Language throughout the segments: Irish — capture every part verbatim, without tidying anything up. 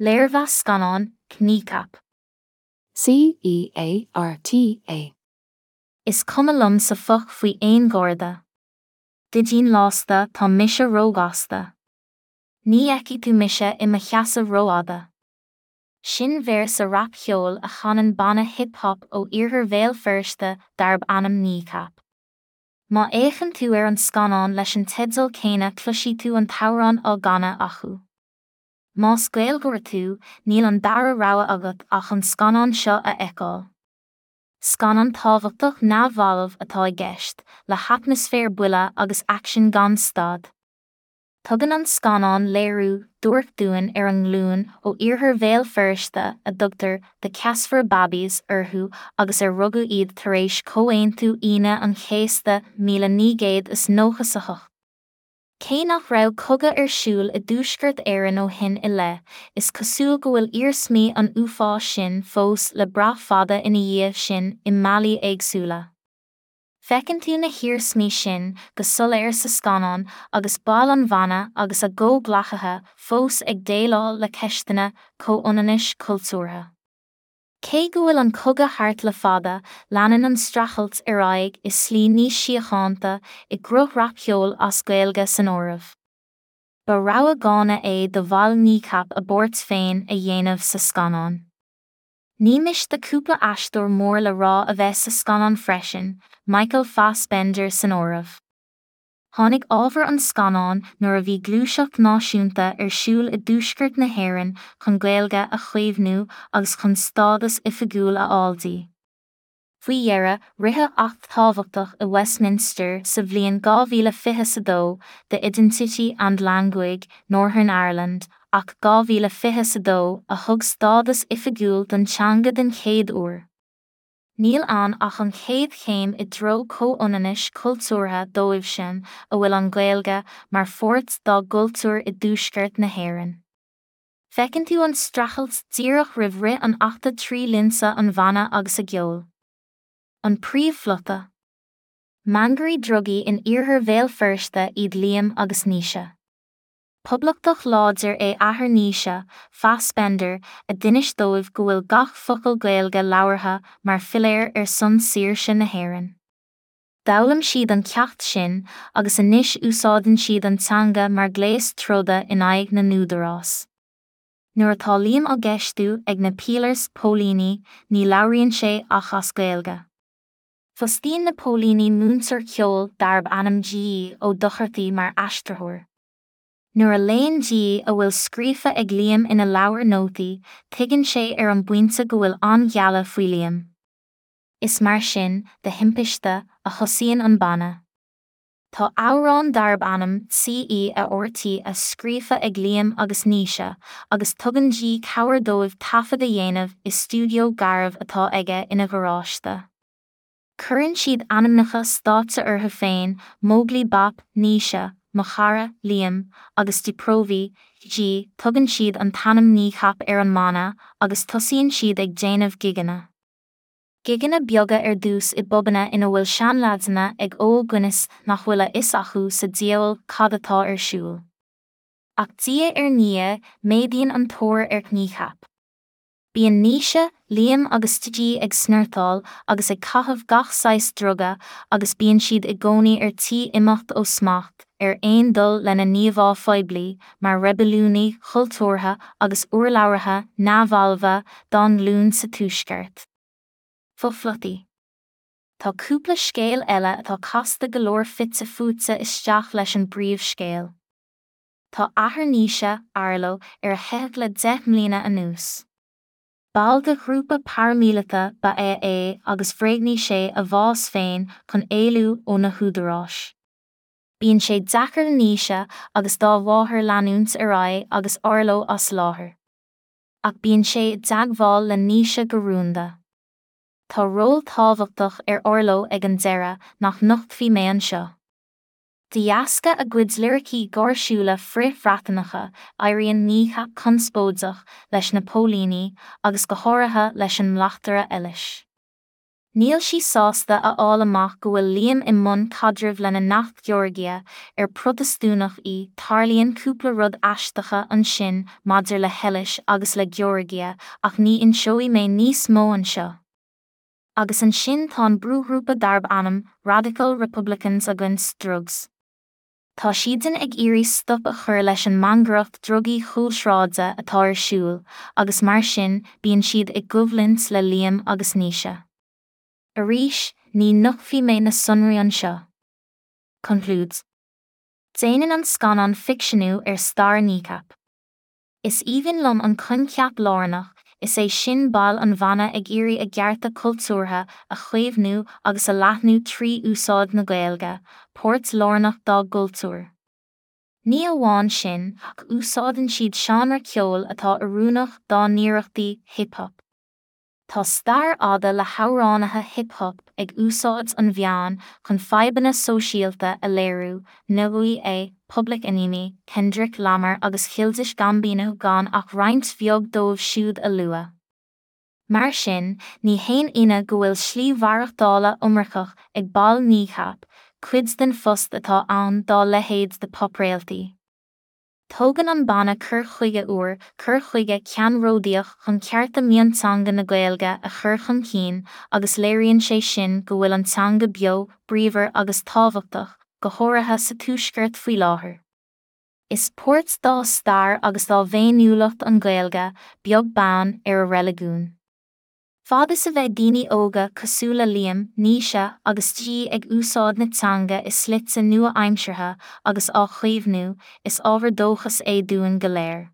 Léirmheas scannáin, Kneecap. C E A R T A. Is cuma liom sa foc faoi aon gharda. Didín lasta tá mise róghasta. Ní fheicfidh tú mise i mo sheasamh rófhada. Sin véarsa rapcheoil a chanann banna hip-hop ó iarthar Bhéal Feirste darb ainm Kneecap. Má fhéachann tú ar an scannán leis an teideal céanna cloisfidh tú an t-amhrán á gcanadh acu. Más Gaeilgeoir tú, níl an dara rogha agat ach an scannán seo a fheiceáil. Scannán tábhachtach neamhbhalbh atá i gceist, le hatmaisféar buile agus aicsean gan stad. Tugann an scannán léiriú duairc dúinn ar an nglúin ó iarthar Bhéal Feirste a dtugtar 'The Ceasfar Babbies' orthu agus ar rugadh iad tar éis Comhaontú Aoine an Chéasta míle naoi gcéad is nócha a hocht. Cé nach raibh cogadh ar siúl i dTuaisceart Éireann ó shin i leith, is cosúil go bhfuil iarsmaí an uafáis sin fós le brath fada ina dhiaidh sin i mbealaí éagsúla. Feiceann tú na hiarsmaí sin go soiléir sa scannán agus baill an bhanna agus a gcomhghleacaithe fós ag déileáil le ceisteanna comhionannais cultúrtha. Cé go bhfuil an cogadh thart le fada, leanann an streachailt ar aghaidh i slí níos síochánta i gcruth rapcheoil as Gaeilge san áireamh. Ba rogha dána é do bhaill Kneecap a bpáirt féin a dhéanamh sa scannán. Ní miste cúpla aisteoir mór le rá a bheith sa scannán freisin, Michael Fassbender san áireamh. Tháinig ábhar an scannáin nuair a bhí gluaiseacht náisiúnta ar siúl i dTuaisceart na hÉireann chun Gaeilge a chaomhnú agus chun stádas oifigiúil a fháil di. Faoi dheireadh, ritheadh acht tábhachtach i Westminster sa bhliain dhá mhíle fiche a dó The Identity and Language, Northern Ireland, Acht dhá mhíle fiche a dó a thug stádas oifigiúil don teanga den chéad uair. Níl ann ach an chéad chéim i dtreo comhionannais cultúrtha dóibh sin a bhfuil an Ghaeilge mar pháirt dá gcultúr i dTuaisceart na hÉireann. Feiceann tú an streachailt díreach roimh rith an achta trí lionsa an bhanna agus a gceol. An príomhphlota. Mangairí drugaí in iarthar Bhéal Feirste iad Liam agus Naoise. Poblachtach láidir é athair Naoise, Fassbender, a d'inis dóibh go bhfuil gach focal Gaeilge labhartha mar philéar ar son saoirse na hÉireann. D'fhoghlaim siad an ceacht sin agus anois úsáideann siad an teanga mar ghléas troda in aghaidh na n-údarás. Nuair atá Liam á gceistiú ag na pílears póilíní, ní labhraíonn sé ach as Gaeilge. Fostaíonn na póilíní múinteoir ceoil darb ainm G Ó Dochartaí mar aistritheoir. Nuair a léann G a bhfuil scríofa ag Liam ina leabhar nótaí, tuigeann sé ar an bpointe go bhfuil an-ghealladh faoi Liam. Is mar sin, de thimpiste, a thosaíonn an banna. Tá amhrán darb ainm C E A R T a scríofa ag Liam agus Naoise, agus tugann G cabhair dóibh taifead a dhéanamh i stiúideo garbh atá aige ina gharáiste. Cuireann siad ainmneacha stáitse orthu féin, Móglaí Bap, Naoise, Mo Chara, Liam, agus Diprovi, G, tugann siad an t-ainm Kneecap ar an mbanna agus tosaíonn siad ag déanamh gigeanna. Gigeanna beaga ar dtús i bpubanna ina bhfuil seanleaideanna ag ól Guinness nach bhfuil a fhios acu sa diabhal cad atá ar siúl. Ach diaidh ar ndiaidh, méadaíonn an tóir ar Kneecap. Bíonn Naoise, Liam agus G ag snortáil agus ag caitheamh gach saghas druga agus bíonn siad i gcónaí ar tí imeacht ó smacht ar aon dul lena n-íomhá phoiblí mar reibiliúnaigh chultúrtha agus urlabhraithe neamhbhalbha dá nglúin sa Tuaisceart. Fo-phlotaí. Tá cúpla scéal eile atá casta go leor fite fuaite isteach leis an bpríomhscéal. Tá athair Naoise, Arlo, ar a theitheadh le deich mbliana anuas. Ball de ghrúpa paraimíleata ba ea é agus bhréagnaigh sé a bhás féin chun éalú ó na húdaráis. Bíonn sé deacair do Naoise agus dá mháthair leanúint ar aghaidh agus Arlo as láthair. Ach bíonn sé i dteagmháil le Naoise go rúnda. Tá ról tábhachtach ar Arlo ag an deireadh nach nochtfaidh mé anseo. De dheasca a gcuid liricí gáirsiúla frith-Bhreatanacha, éiríonn Kneecap conspóideach leis na póilíní agus go háirithe leis an mbleachtaire Eilis. Níl sí sásta a fháil amach go bhfuil Liam i mbun caidrimh lena neacht Georgia, ar Protastúnach í, tarlaíonn cúpla rud aisteacha ansin maidir le hEilis agus le Georgia ach ní inseoidh mé níos mó anseo. Agus ansin tá an brúghrúpa darb ainm Radical Republicans Against Drugs. Tá siadsan ag iarraidh stop a chur leis an mangaireacht drugaí chúlsráide atá ar siúl, agus mar sin bíonn siad i gcoimhlint le Liam agus Naoise. Arís, ní nochtfaidh mé na sonraí anseo. Concludes. Déanann an scannán ficseanú ar stair Kneecap. Is aoibhinn liom an coincheap lárnach, is é sin baill an bhanna ag iarraidh a gcearta cultúrtha a chaomhnú agus a leathnú trí úsáid na Gaeilge, páirt lárnach dá gcultúr. Ní amháin sin, ach úsáideann siad seánra ceoil atá oiriúnach dá n-iarrachtaí, hip-hop. Tá stair fhada le hamhránaithe hip-hop ag úsáid an mheáin chun fadhbanna sóisialta a léiriú, N W A, Public Enemy, Kendrick Lamar agus Childish Gambino gan ach roinnt bheag dóibh siúd a lua. Mar sin, ní haon ionadh go bhfuil slí mhaireachtála iomarcach ag baill Kneecap, cuid den phost atá ann dá leithéid de popréaltaí. Tógann an banna cur chuige úr, cur chuige ceannródaíoch chun cearta mionteanga na Gaeilge a chur chun cinn agus léiríonn sé sin go bhfuil an teanga beo, bríomhar agus tábhachtach, go háirithe sa tuaisceart faoi láthair. Is páirt dá stair agus dá bhféiniúlacht an Ghaeilge, beag beann ar a reiligiún. Fad is a bheidh daoine óga cosúil le Liam, Naoise agus G ag úsáid na teanga i slite nua-aimseartha agus á chaomhnú, is ábhar dóchais é dúinn go léir.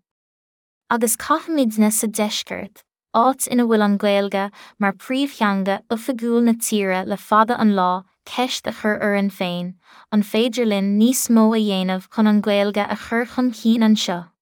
Agus caithfimidne sa deisceart, áit ina bhfuil an Ghaeilge mar príomhtheanga oifigiúil na tíre le fada an lá, ceist a chur orainn féin, an féidir linn níos mó a dhéanamh chun an Ghaeilge a chur chun cinn anseo?